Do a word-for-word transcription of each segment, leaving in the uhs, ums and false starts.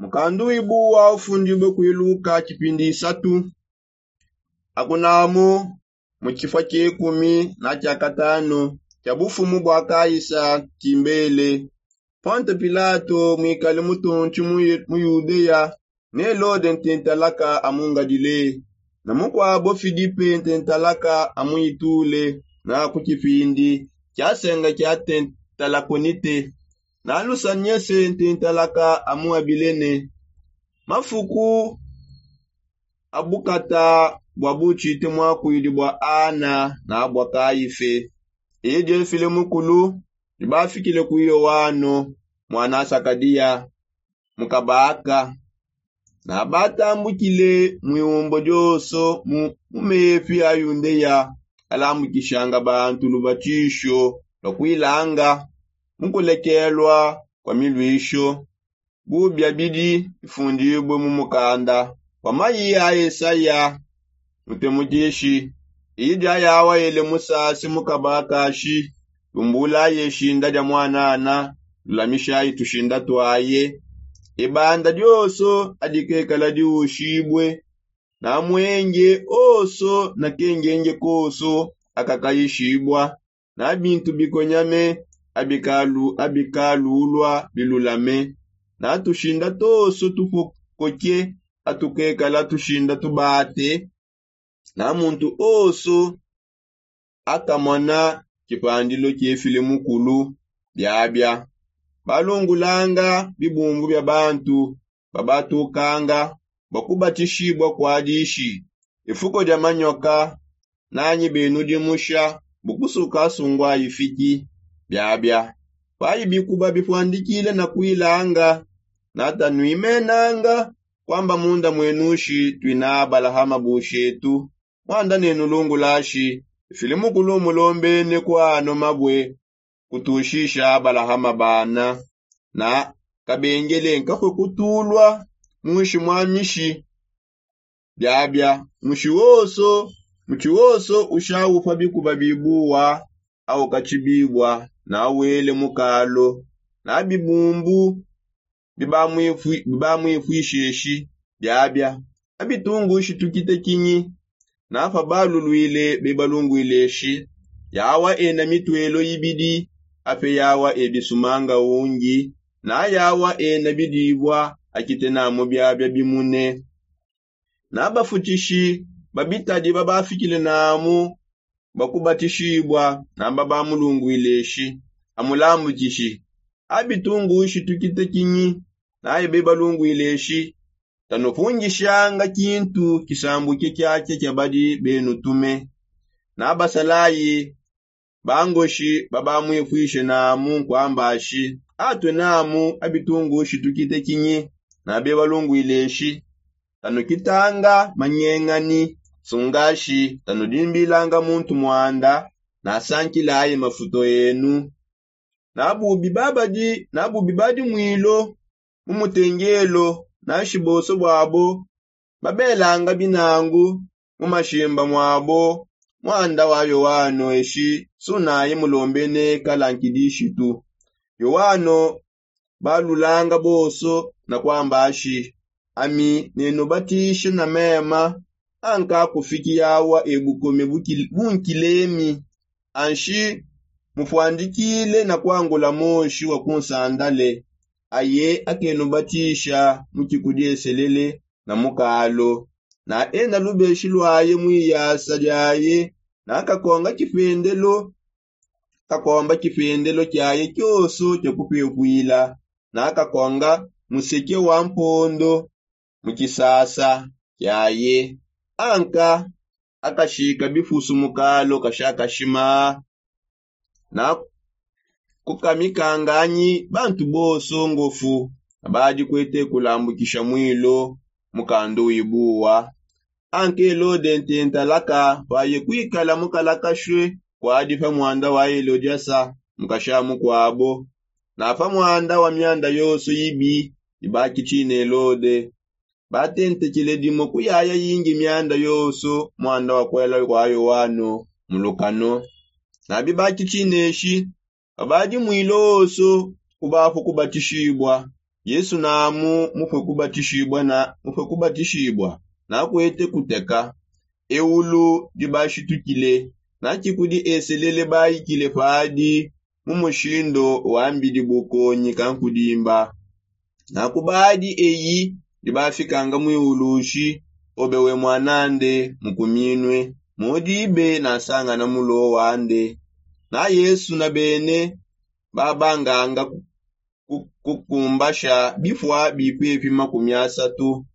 Mukandu wibuwa ufundibue kuiluka tshipindi isatu. Akunamu mu tshifua tshia ikumi na tshia katanu tshia bufumu bua kaisa tshimbele, ponte pilato muikale mutontshi mu yudeya, ne helode ntentalaka amungadile, na mukuabo filipe ntentalaka amuitule, na ku tshipindi tshiasenga tshia tentalakonite, na lusanyese ntentalaka amuabilene. Mafuku a bukata bua butshite muakuidi bua ana na bua kaife. Idi efile mukulu dibafikile ku yoano muana sakadiya, mukabaka na batambukile mu iumbo dionso mu mepi a yundeya, alambukishanga bantu lubatisho lua kuilanga mu kulekelua kua miluisho. Bubia bidi bifundibue mu mukanda wa mayi a esaya, mutemudishi. Idi ayawa ele musase mukabakashi, lumbulaye shinda dia muanana, lulamishayi tushinda tuaye. Ibanda dionso adikekala diushibue, na muenge onso na kengenge konso akakayishibua, na bintu bikonyame abikalulua bilulame, na tushinda tonso tupokoke atukekala tushinda tubate, na muntu onso akamona tshipandilo tshiefile mukulu. Biabia balungulanga bibumbu bia bantu babatukanga bua kubatishibua kua dishi, ifuko dia manyoka, nanyi benudimusha bu kusuka sungua ifiki. Biabia payi bikuba bipuandikile na kuilanga, na tanuimenanga kuamba munda muenushi tuina abalahama bushetu, muanda nenulungulashi, ifile mukulu umulombene kuano mabue kutushisha abalahama bana, na kabengele nkakue kutulua munshi mua mishi. Biabia mushi wonso, mushi wonso ushawu pa bikuba bibuwa aukatshibibua na wele mukalo, na bibumbu bibamwipui- bibamwipuisheshi. Biabia abitungushi tukite kinyi, na pa baluluile bebalunguileshi. Yawa ena mituelo ibidi, ape yawa ebisumanga ungi, na yawa ena bidibua akite namu biabia bimune. Na bafutishi ba bitadi babafikile namu bakubatishibua, na babamulunguileshi, amulambukishi. Abitungushi tukite kinyi, na ebe balunguileshi, tanupungishanga kintu kisambuke kiakia kia badi benutume. Na basalayi bangoshi babamwipuishe namu nkuambashi, atue namu abitungushi tukite kinyi, na bebalunguileshi, tanukitanga manyengani, sungashi tanudimbilanga muntu muanda, nasankilaye mafuto enu. Na bubi babadi na bubi badi mwilo mu mutengelo, nanshi bonso buabo babelanga binangu mu mashimba muabo. Muanda wa yoano eshi sunaye mulombene kala nkidishitu. Yoano balulanga bonso na kuamba ashi, ami nenubatishe na mema, anka kufiki yawa ebukome bunkilemi. Anshi mupuandikile na kuangula moshi wa kunsandale, aye akenubatisha mu tshikudieselele na mukalo, na ena lubeshi luaye mu iyasa diaye, na kakonga kipendelo kakomba kipendelo kiaye kionso kia kupepuila, na kakonga museke wa mpondo mu kisasa kiaye. Anka akashika bifusu mukalo kashakashima, na kukamikanganyi bantu bonso ngofu, na badi kuete kulambukisha mwilo mukandu wibuwa. Anke Helode ntentalaka paye kuikala mukalakashue kuadi pa muanda wa Helodiasa mukasha mukuabo, na pa muanda wa mianda yonso yibi ibakitshine Helode. Batentekele dimue kuyaya yingi mianda yonso muanda wa kuela kua Yoano mu lukano. Na bibakitshineshi, babadi mwilo wonso kubapua kubatishibua, Yesu namu mupue kubatishibua na mupue kubatishibua nakuete kuteka eulu dibashitukile. Natshikudi eselele bayikile padi mu mushindo wa mbidi bukonyi kankudimba. Nakubadi eyi dibafikanga muiulushi obe we mwanande mukuminue mudibe nasangana mulowa nde. Na yesu na bene babanganga kukumbasha bifua bipepi makumi asatu.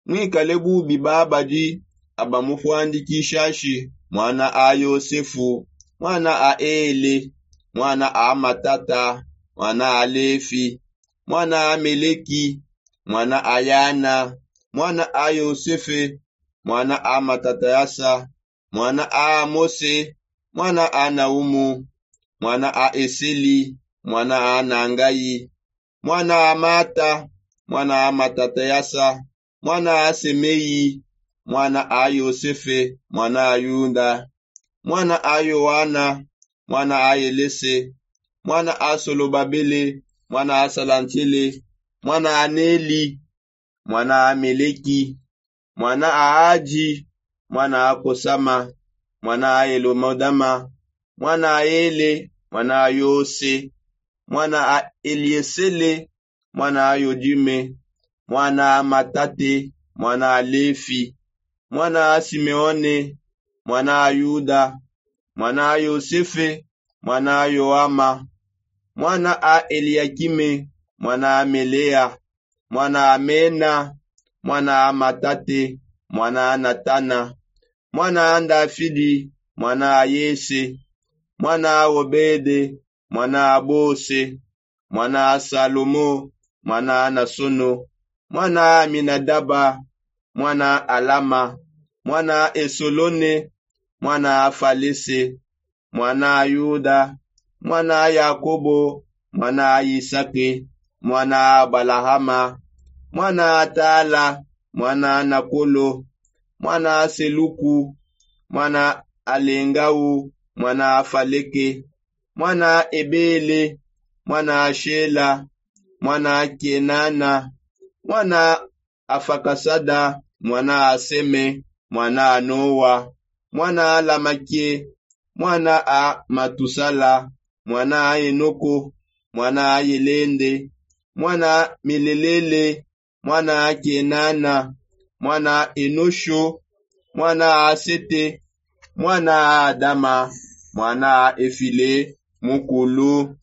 Mwikale bubi babadi abamufuandikishashi mwana a yosefu, mwana a ele, mwana a matata, mwana a lefi, mwana a meleki, mwana a yana, mwana a yosefe, mwana a matatayasa, mwana a mose, mwana a naumu, mwana a eseli, mwana a nangayi, mwana a mata, mwana a matatayasa, mwana a semeyi, mwana a yosefe, mwana a yuda, mwana a yoana, mwana a elese, mwana a solobabele, mwana a salantele, mwana a neli, mwana a meleki, mwana a adi, mwana a kosama, mwana a elomodama, mwana a ele, mwana a yose, mwana a eliesele, mwana a yodime, mwana a matate, mwana a lefi, mwana a simeone, mwana a yuda, mwana a yosefe, mwana a yoama, mwana a eliakime, mwana a melea, mwana a mena, mwana a matate, mwana a natana, mwana a ndafidi, mwana a yese, mwana a obede, mwana a bose, mwana a salomo, mwana a nasono, mwana a minadaba, mwana a alama, mwana a esolone, mwana a falese, mwana a yuda, mwana a yakobo, mwana a yisake, mwana a abalahama, mwana a tala, mwana a nakolo, mwana a seluku, mwana a lengau, mwana a faleke, mwana a ebele, mwana a shela, mwana a kenana, mwana a fakasada, mwana a seme, mwana a noa, mwana a lamake, mwana a matusala, mwana a enoko, mwana a yelende, mwana a melelele, mwana a kenana, mwana a enosho, mwana a sete, mwana a adama, mwana a efile mukulu.